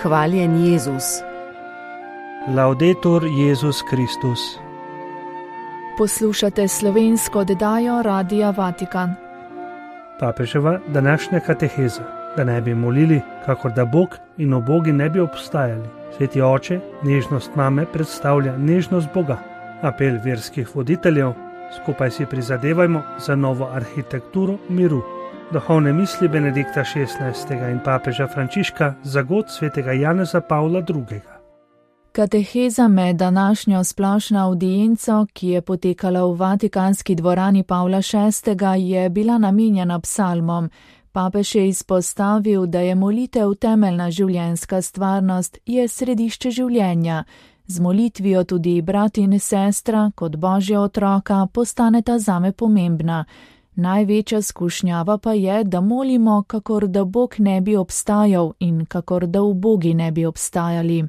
Hvaljen Jezus. Laudetur Jezus Kristus. Poslušate slovensko oddajo Radia Vatikan. Papeževa današnja kateheza, da ne bi molili, kakor da Bog in ubogi ne bi obstajali. Sveti oče, nežnost mame predstavlja nežnost Boga. Apel verskih voditeljev, skupaj si prizadevajmo za novo arhitekturo miru. Duhovne misli Benedikta XVI. In papeža Frančiška za god svetega Janeza Pavla II. Kateheza med današnjo splošno avdienco, ki je potekala v Vatikanski dvorani Pavla VI., je bila namenjena psalmom. Papež je izpostavil, da je molitev temeljna življenjska stvarnost, je središče življenja. Z molitvijo tudi brat in sestra, kot božja otroka, postaneta zame pomembna. Največja skušnjava pa je, da molimo, kakor da Bog ne bi obstajal in kakor da ubogi ne bi obstajali.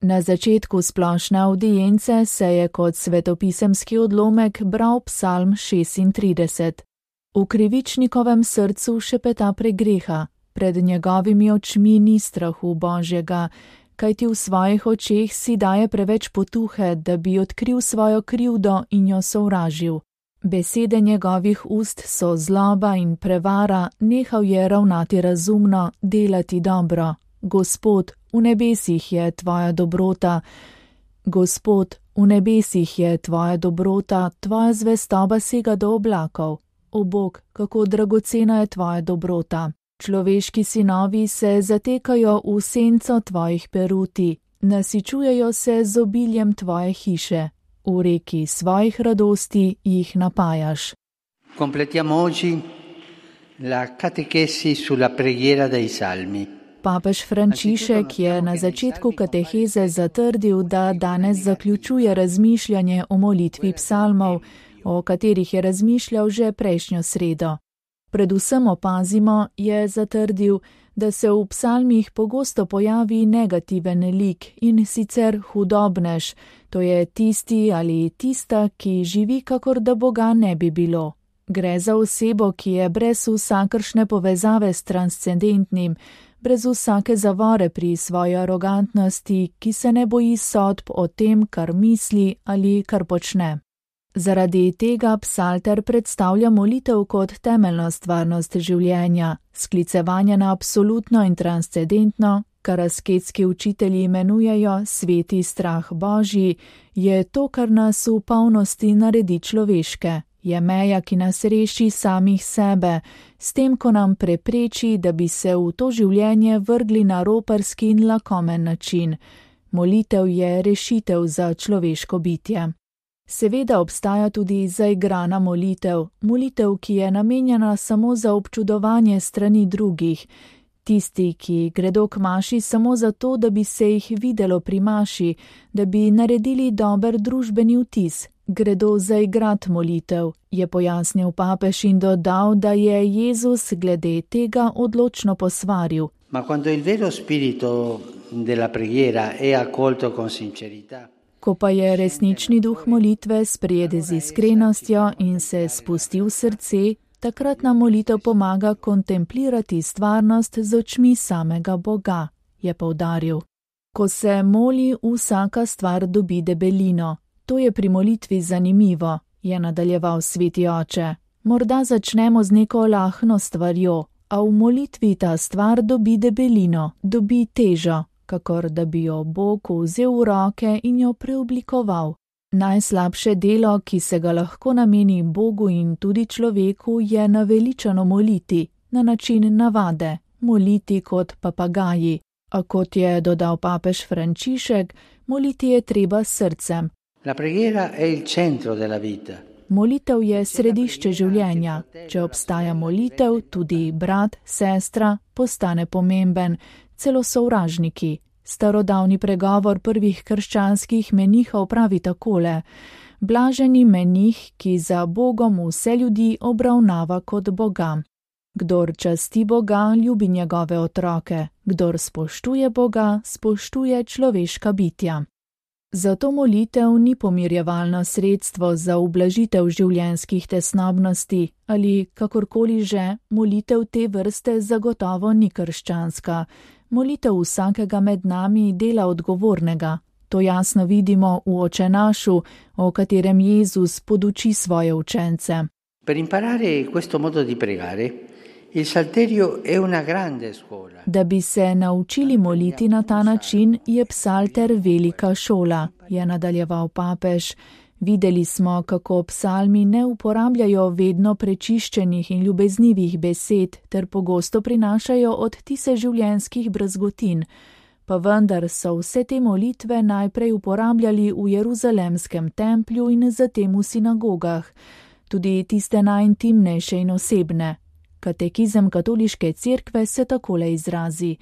Na začetku splošne avdience se je kot svetopisemski odlomek bral psalm 36. V krivičnikovem srcu šepeta pregreha, pred njegovimi očmi ni strahu Božjega, kajti v svojih očeh si daje preveč potuhe, da bi odkril svojo krivdo in jo sovražil. Besede njegovih ust so zloba in prevara, nehal je ravnati razumno, delati dobro. Gospod, v nebesih je tvoja dobrota. Gospod, v nebesih je tvoja dobrota, tvoja zvestoba sega do oblakov. O Bog, kako dragocena je tvoja dobrota. Človeški sinovi se zatekajo v senco tvojih peruti, nasičujejo se z obiljem tvoje hiše. V reki svojih radosti jih napajaš. Completiamo oggi la catechesi sulla preghiera dei salmi. Papež Frančišek je na začetku kateheze zatrdil, da danes zaključuje razmišljanje o molitvi psalmov, o katerih je razmišljal že prejšnjo sredo. Predvsem opazimo, je zatrdil, da se v psalmih pogosto pojavi negativen lik in sicer hudobnež, to je tisti ali tista, ki živi, kakor da Boga ne bi bilo. Gre za osebo, ki je brez vsakršne povezave s transcendentnim, brez vsake zavore pri svoji arogantnosti, ki se ne boji sodb o tem, kar misli ali kar počne. Zaradi tega psalter predstavlja molitev kot temeljno stvarnost življenja, sklicevanje na absolutno in transcendentno, kar asketski učitelji imenujejo sveti strah Božji, je to, kar nas v polnosti naredi človeške. Je meja, ki nas reši samih sebe, s tem, ko nam prepreči, da bi se v to življenje vrgli na roparski in lakomen način. Molitev je rešitev za človeško bitje. Seveda obstaja tudi zaigrana molitev, molitev, ki je namenjena samo za občudovanje strani drugih. Tisti, ki gredo k maši samo zato, da bi se jih videlo pri maši, da bi naredili dober družbeni vtis, gredo zaigrat molitev, je pojasnil papež in dodal, da je Jezus glede tega odločno posvaril. Ma quando il vero spirito della preghiera è accolto con sincerità. Ko pa je resnični duh molitve sprejet z iskrenostjo in se spusti v srce, takrat nam molitev pomaga kontemplirati stvarnost z očmi samega Boga, je poudaril. Ko se moli, vsaka stvar dobi debelino. To je pri molitvi zanimivo, je nadaljeval sveti oče. Morda začnemo z neko lahno stvarjo, a v molitvi ta stvar dobi debelino, dobi težo, kakor da bi jo Bog vzel v roke in jo preoblikoval. Najslabše delo, ki se ga lahko nameni Bogu in tudi človeku, je naveličano moliti, na način navade, moliti kot papagaji. A kot je dodal papež Frančišek, moliti je treba s srcem. La preghiera è il centro della vita. Molitev je središče življenja. Če obstaja molitev, tudi brat, sestra postane pomemben, celo sovražniki. Starodavni pregovor prvih krščanskih menihov pravi takole: blaženi menih, ki za Bogom vse ljudi obravnava kot Boga. Kdor časti Boga, ljubi njegove otroke. Kdor spoštuje Boga, spoštuje človeška bitja. Zato molitev ni pomirjevalno sredstvo za ublažitev življenjskih tesnobnosti ali kakorkoli že, molitev te vrste zagotovo ni krščanska. Molitev vsakega med nami dela odgovornega. To jasno vidimo v Očenašu, o katerem Jezus poduči svoje učence. Per imparare questo modo di pregare, il Salterio è una grande scuola. Da bi se naučili moliti na ta način, je psalter velika šola, je nadaljeval papež. Videli smo, kako psalmi ne uporabljajo vedno prečiščenih in ljubeznivih besed ter pogosto prinašajo odtise življenjskih brazgotin, pa vendar so vse te molitve najprej uporabljali v Jeruzalemskem templju in zatem v sinagogah, tudi tiste najintimnejše in osebne. Katekizem katoliške cerkve se takole izrazi.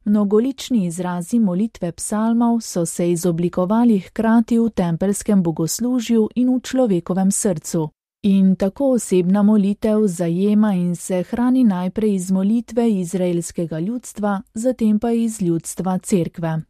Mnogolični izrazi molitve psalmov so se izoblikovali hkrati v tempelskem bogoslužju in v človekovem srcu. In tako osebna molitev zajema in se hrani najprej iz molitve izraelskega ljudstva, zatem pa iz ljudstva cerkve.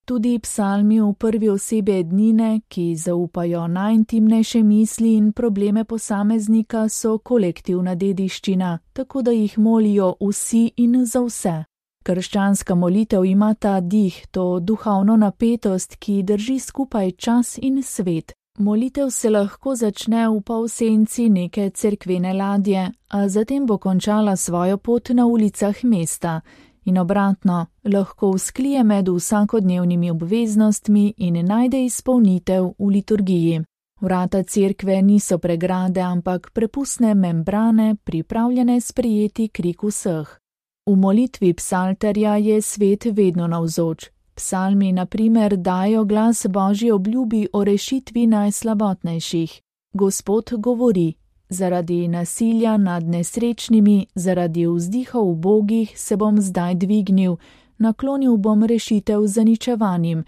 Tudi psalmi v prvi osebi ednine, ki zaupajo najintimnejše misli in probleme posameznika, so kolektivna dediščina, tako da jih molijo vsi in za vse. Krščanska molitev ima ta dih, to duhovno napetost, ki drži skupaj čas in svet. Molitev se lahko začne v polsenci neke cerkvene ladje, a zatem bo končala svojo pot na ulicah mesta. In obratno, lahko vzklije med vsakodnevnimi obveznostmi in najde izpolnitev v liturgiji. Vrata cerkve niso pregrade, ampak prepustne membrane, pripravljene sprejeti krik vseh. V molitvi psalterja je svet vedno navzoč. Psalmi, na primer, dajo glas Božji obljubi o rešitvi najslabotnejših. Gospod govori: zaradi nasilja nad nesrečnimi, zaradi vzdihov ubogih se bom zdaj dvignil, naklonil bom rešitev zaničevanim,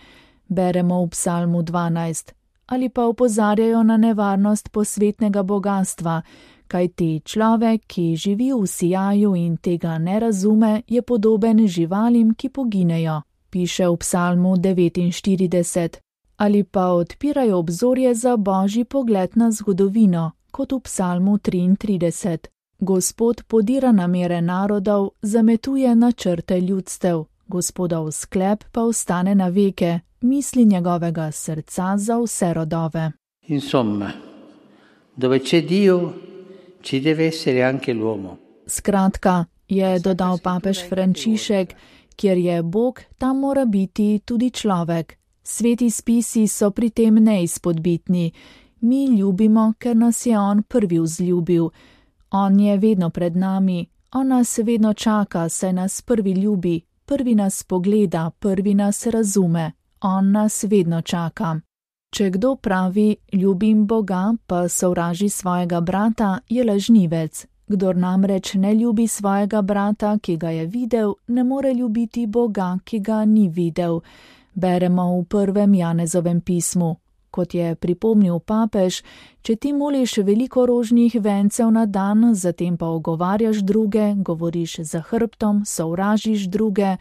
beremo v psalmu 12. Ali pa opozarjajo na nevarnost posvetnega bogastva, kajti človek, ki živi v sijaju in tega ne razume, je podoben živalim, ki poginejo, piše v psalmu 49. Ali pa odpirajo obzorje za Božji pogled na zgodovino, kot v psalmu 33. Gospod podira namere narodov, zametuje načrte ljudstev, Gospodov sklep pa ostane na veke, misli njegovega srca za vse rodove. Insomma, dove c'è Dio, ci deve essere anche l'uomo. Skratka, je dodal papež Frančišek, kjer je Bog, tam mora biti tudi človek. Sveti spisi so pri tem neizpodbitni. Mi ljubimo, ker nas je on prvi vzljubil. On je vedno pred nami, on nas vedno čaka, saj nas prvi ljubi, prvi nas pogleda, prvi nas razume, on nas vedno čaka. Če kdo pravi, ljubim Boga, pa sovraži svojega brata, je lažnivec. Kdor namreč ne ljubi svojega brata, ki ga je videl, ne more ljubiti Boga, ki ga ni videl. Beremo v 1. Janezovem pismu. Kot je pripomnil papež, če ti moliš veliko rožnih vencev na dan, zatem pa ogovarjaš druge, govoriš za hrbtom, sovražiš druge,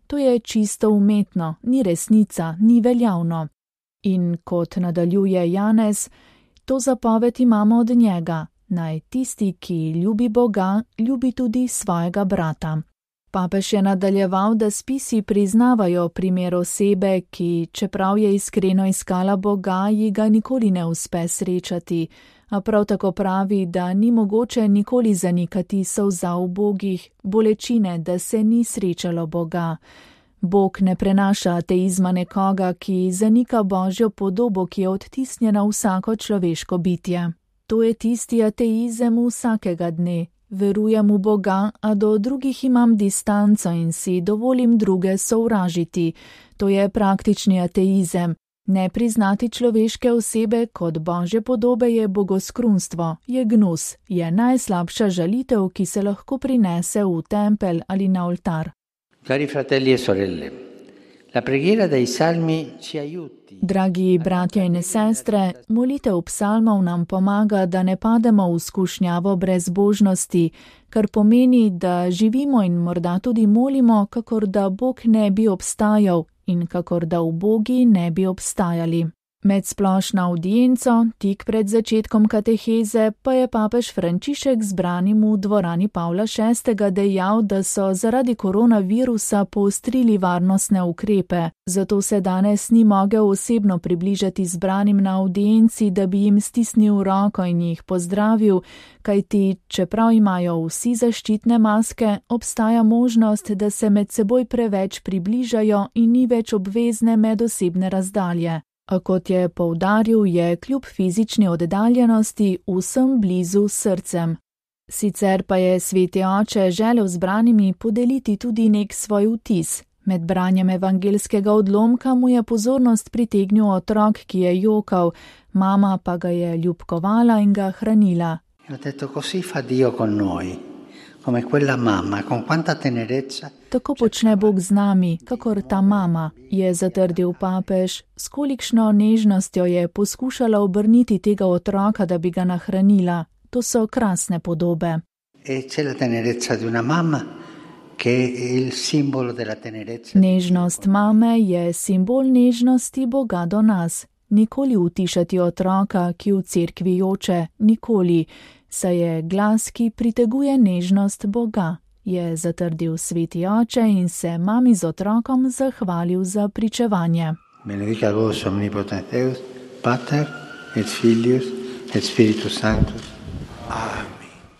to je čisto umetno, ni resnica, ni veljavno. In kot nadaljuje Janez, to zapoved imamo od njega, naj tisti, ki ljubi Boga, ljubi tudi svojega brata. Papež je nadaljeval, da spisi priznavajo primer osebe, ki, čeprav je iskreno iskala Boga, ji ga nikoli ne uspe srečati, a prav tako pravi, da ni mogoče nikoli zanikati solza ubogih, bolečine, da se ni srečalo Boga. Bog ne prenaša ateizma nekoga, ki zanika Božjo podobo, ki je odtisnjena v vsako človeško bitje. To je tisti ateizem vsakega dne. Verujem v Boga, a do drugih imam distanco in si dovolim druge sovražiti. To je praktični ateizem. Ne priznati človeške osebe kot Božje podobe je bogoskrunstvo, je gnus, je najslabša žalitev, ki se lahko prinese v tempelj ali na oltar. Cari fratelli e sorelle, la preghiera dei salmi ci aiuti. Dragi bratje in sestre, molitev psalmov nam pomaga, da ne pademo v skušnjavo brezbožnosti, kar pomeni, da živimo in morda tudi molimo, kakor da Bog ne bi obstajal in kakor da ubogi ne bi obstajali. Med splošno audienco, tik pred začetkom kateheze, pa je papež Frančišek zbranim v dvorani Pavla VI. Dejal, da so zaradi koronavirusa poostrili varnostne ukrepe, zato se danes ni mogel osebno približati zbranim na audienci, da bi jim stisnil roko in jih pozdravil, kajti, čeprav imajo vsi zaščitne maske, obstaja možnost, da se med seboj preveč približajo in ni več obvezne medosebne razdalje. A kot je poudaril, je kljub fizični oddaljenosti vsem blizu srcem. Sicer pa je sveti oče želel zbranimi podeliti tudi nek svoj vtis. Med branjem evangelskega odlomka mu je pozornost pritegnil otrok, ki je jokal, mama pa ga je ljubkovala in ga hranila. Tako počne Bog z nami, kakor ta mama, je zatrdil papež, s kolikšno nežnostjo je poskušala obrniti tega otroka, da bi ga nahranila. To so krasne podobe. Nežnost mame je simbol nežnosti Boga do nas. Nikoli utišati otroka, ki v cerkvi joče, nikoli. Saj je glas, ki priteguje nežnost Boga, je zatrdil sveti oče in se mami z otrokom zahvalil za pričevanje. Benedicat vos omnipotent Deus, Pater et Filius et Spiritus Sanctus. Amen.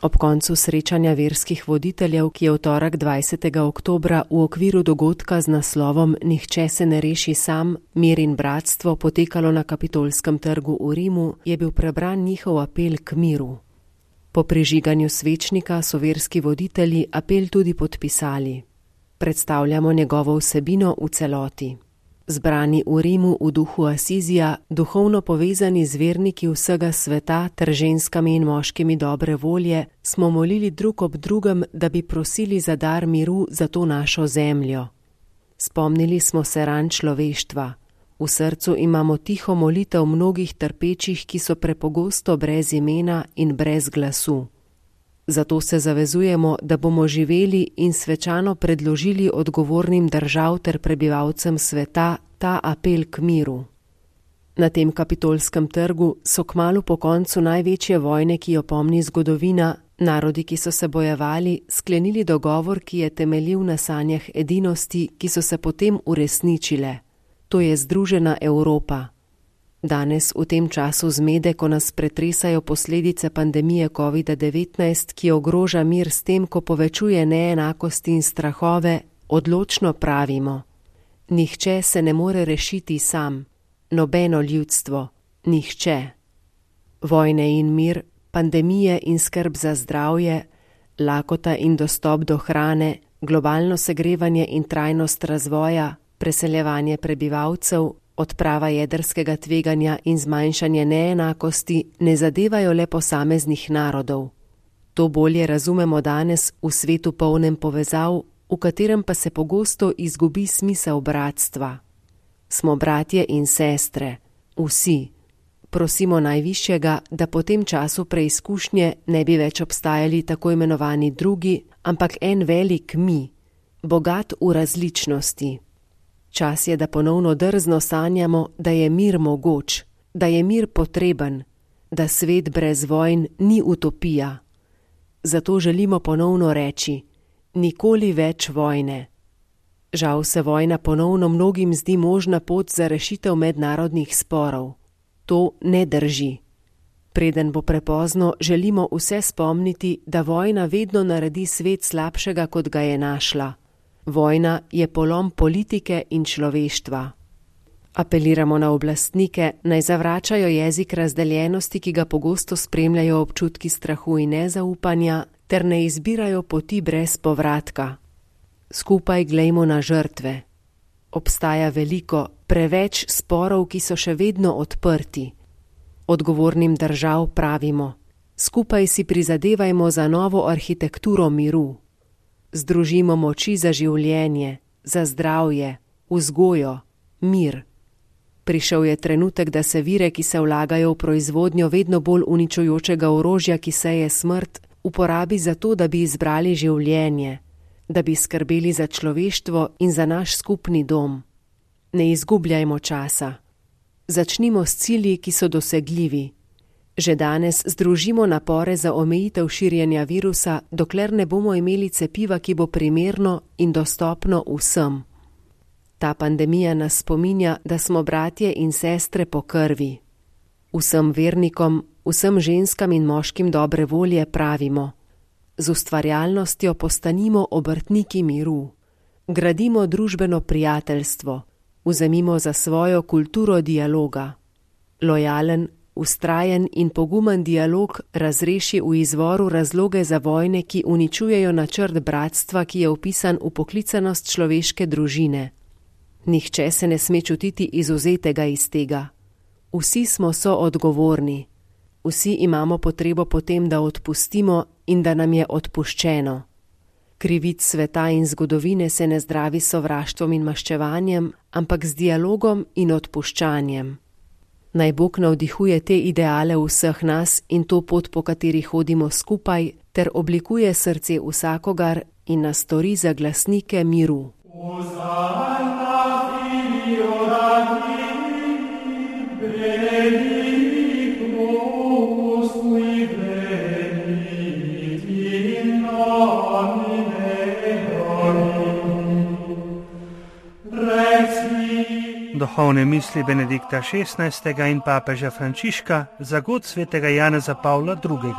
Ob koncu srečanja verskih voditeljev, ki je v torek 20. oktobra v okviru dogodka z naslovom Nihče se ne reši sam, mir in bratstvo potekalo na Kapitolskem trgu v Rimu, je bil prebran njihov apel k miru. Po prižiganju svečnika so verski voditelji apel tudi podpisali. Predstavljamo njegovo vsebino v celoti. Zbrani v Rimu v duhu Asizija, duhovno povezani z verniki vsega sveta ter ženskami in moškimi dobre volje, smo molili drug ob drugem, da bi prosili za dar miru za to našo zemljo. Spomnili smo se ran človeštva. V srcu imamo tiho molitev mnogih trpečih, ki so prepogosto brez imena in brez glasu. Zato se zavezujemo, da bomo živeli in svečano predložili odgovornim držav ter prebivalcem sveta ta apel k miru. Na tem Kapitolskem trgu so kmalu po koncu največje vojne, ki jo pomni zgodovina, narodi, ki so se bojevali, sklenili dogovor, ki je temeljil na sanjah edinosti, ki so se potem uresničile. To je združena Evropa. Danes, v tem času zmede, ko nas pretresajo posledice pandemije COVID-19, ki ogroža mir s tem, ko povečuje neenakosti in strahove, odločno pravimo: nihče se ne more rešiti sam, nobeno ljudstvo, nihče. Vojne in mir, pandemije in skrb za zdravje, lakota in dostop do hrane, globalno segrevanje in trajnost razvoja, preseljevanje prebivalcev, odprava jedrskega tveganja in zmanjšanje neenakosti ne zadevajo le posameznih narodov. To bolje razumemo danes v svetu polnem povezav, v katerem pa se pogosto izgubi smisel bratstva. Smo bratje in sestre, vsi. Prosimo Najvišjega, da po tem času preizkušnje ne bi več obstajali tako imenovani drugi, ampak en velik mi, bogat v različnosti. Čas je, da ponovno drzno sanjamo, da je mir mogoč, da je mir potreben, da svet brez vojn ni utopija. Zato želimo ponovno reči: nikoli več vojne. Žal se vojna ponovno mnogim zdi možna pot za rešitev mednarodnih sporov. To ne drži. Preden bo prepozno, želimo vse spomniti, da vojna vedno naredi svet slabšega, kot ga je našla. Vojna je polom politike in človeštva. Apeliramo na oblastnike, naj zavračajo jezik razdeljenosti, ki ga pogosto spremljajo občutki strahu in nezaupanja, ter ne izbirajo poti brez povratka. Skupaj glejmo na žrtve. Obstaja veliko, preveč sporov, ki so še vedno odprti. Odgovornim držav pravimo: skupaj si prizadevajmo za novo arhitekturo miru. Združimo moči za življenje, za zdravje, vzgojo, mir. Prišel je trenutek, da se vire, ki se vlagajo v proizvodnjo vedno bolj uničujočega orožja, ki seje smrt, uporabi za to, da bi izbrali življenje, da bi skrbeli za človeštvo in za naš skupni dom. Ne izgubljajmo časa. Začnimo s cilji, ki so dosegljivi. Že danes združimo napore za omejitev širjenja virusa, dokler ne bomo imeli cepiva, ki bo primerno in dostopno vsem. Ta pandemija nas spominja, da smo bratje in sestre po krvi. Vsem vernikom, vsem ženskam in moškim dobre volje pravimo: z ustvarjalnostjo postanimo obrtniki miru. Gradimo družbeno prijateljstvo, vzemimo za svojo kulturo dialoga. Lojalen, vztrajen in pogumen dialog razreši v izvoru razloge za vojne, ki uničujejo načrt bratstva, ki je vpisan v poklicanost človeške družine. Nihče se ne sme čutiti izvzetega iz tega. Vsi smo soodgovorni. Vsi imamo potrebo potem, da odpustimo in da nam je odpuščeno. Krivic sveta in zgodovine se ne zdravi s sovraštvom in maščevanjem, ampak z dialogom in odpuščanjem. Naj Bog navdihuje te ideale vseh nas in to pot, po kateri hodimo skupaj, ter oblikuje srce vsakogar in nas stori za glasnike miru. Duhovne misli Benedikta XVI. In papeža Frančiška za god svetega Janeza Pavla II.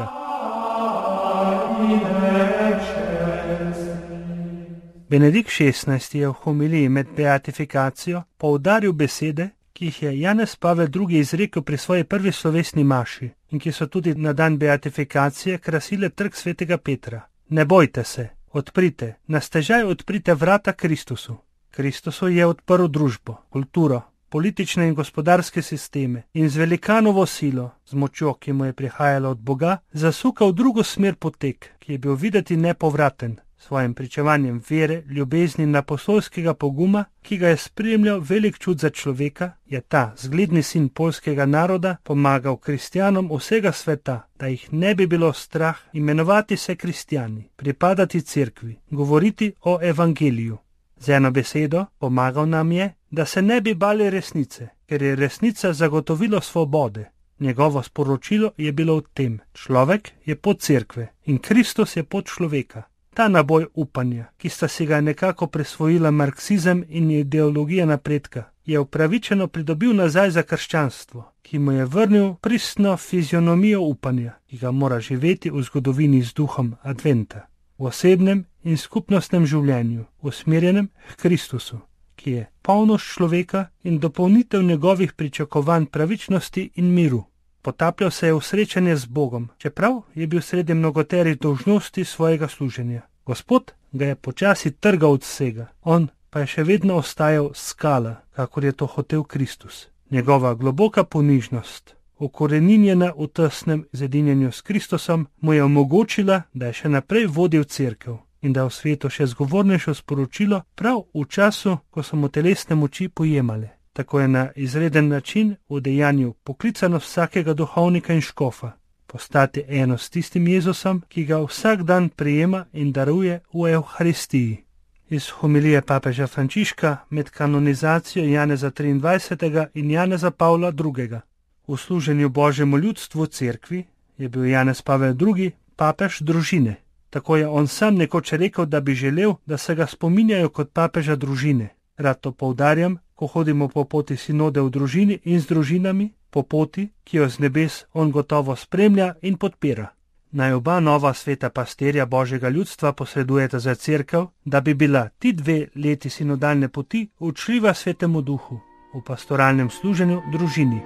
Benedikt XVI. Je v homiliji med beatifikacijo poudaril besede, ki jih je Janez Pavel II. Izrekel pri svoji prvi slovesni maši in ki so tudi na dan beatifikacije krasile trg svetega Petra. Ne bojte se, odprite, na stežaj odprite vrata Kristusu. Kristusu je odprl družbo, kulturo, politične in gospodarske sisteme in z velikanovo silo, z močjo, ki mu je prihajala od Boga, zasukal drugo smer potek, ki je bil videti nepovraten, svojim pričevanjem vere, ljubezni in apostolskega poguma, ki ga je spremljal velik čut za človeka, je ta zgledni sin poljskega naroda pomagal kristjanom vsega sveta, da jih ne bi bilo strah imenovati se kristjani, pripadati cerkvi, govoriti o evangeliju. Z eno besedo, pomagal nam je, da se ne bi bali resnice, ker je resnica zagotovilo svobode. Njegovo sporočilo je bilo v tem: človek je pod cerkve in Kristus je pod človeka. Ta naboj upanja, ki sta si ga nekako prisvojila marksizem in ideologija napredka, je upravičeno pridobil nazaj za krščanstvo, ki mu je vrnil pristno fizionomijo upanja, ki ga mora živeti v zgodovini z duhom adventa, v osebnem in skupnostnem življenju, usmerjenem k Kristusu, ki je polnost človeka in dopolnitev njegovih pričakovanj pravičnosti in miru. Potapljal se je v srečanje z Bogom, čeprav je bil sredi mnogoterih dolžnosti svojega služenja. Gospod ga je počasi trgal od vsega, on pa je še vedno ostajal skala, kakor je to hotel Kristus. Njegova globoka ponižnost, ukoreninjena v tesnem zedinjenju s Kristusom, mu je omogočila, da je še naprej vodil cerkev in da v svetu še zgovornejšo sporočilo prav v času, ko so mu telesne moči pojemale. Tako je na izreden način udejanil poklicanost vsakega duhovnika in škofa, postati eno s tistim Jezusom, ki ga vsak dan prijema in daruje v Evharistiji. Iz homilije papeža Frančiška med kanonizacijo Janeza 23. in Janeza Pavla II. V služenju Božjemu ljudstvu cerkvi je bil Janez Pavel II. Papež družine. Tako je on sam nekoč rekel, da bi želel, da se ga spominjajo kot papeža družine. Rad to poudarjam, ko hodimo po poti sinode v družini in z družinami, po poti, ki jo z nebes on gotovo spremlja in podpira. Naj oba nova sveta pastirja Božjega ljudstva posredujeta za cerkev, da bi bila ti 2 leti sinodalne poti učljiva Svetemu Duhu v pastoralnem služenju družini.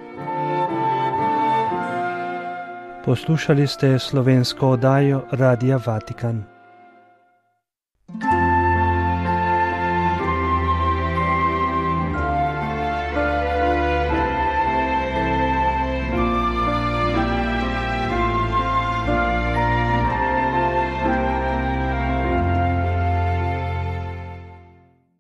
Poslušali ste slovensko oddajo Radia Vatikan.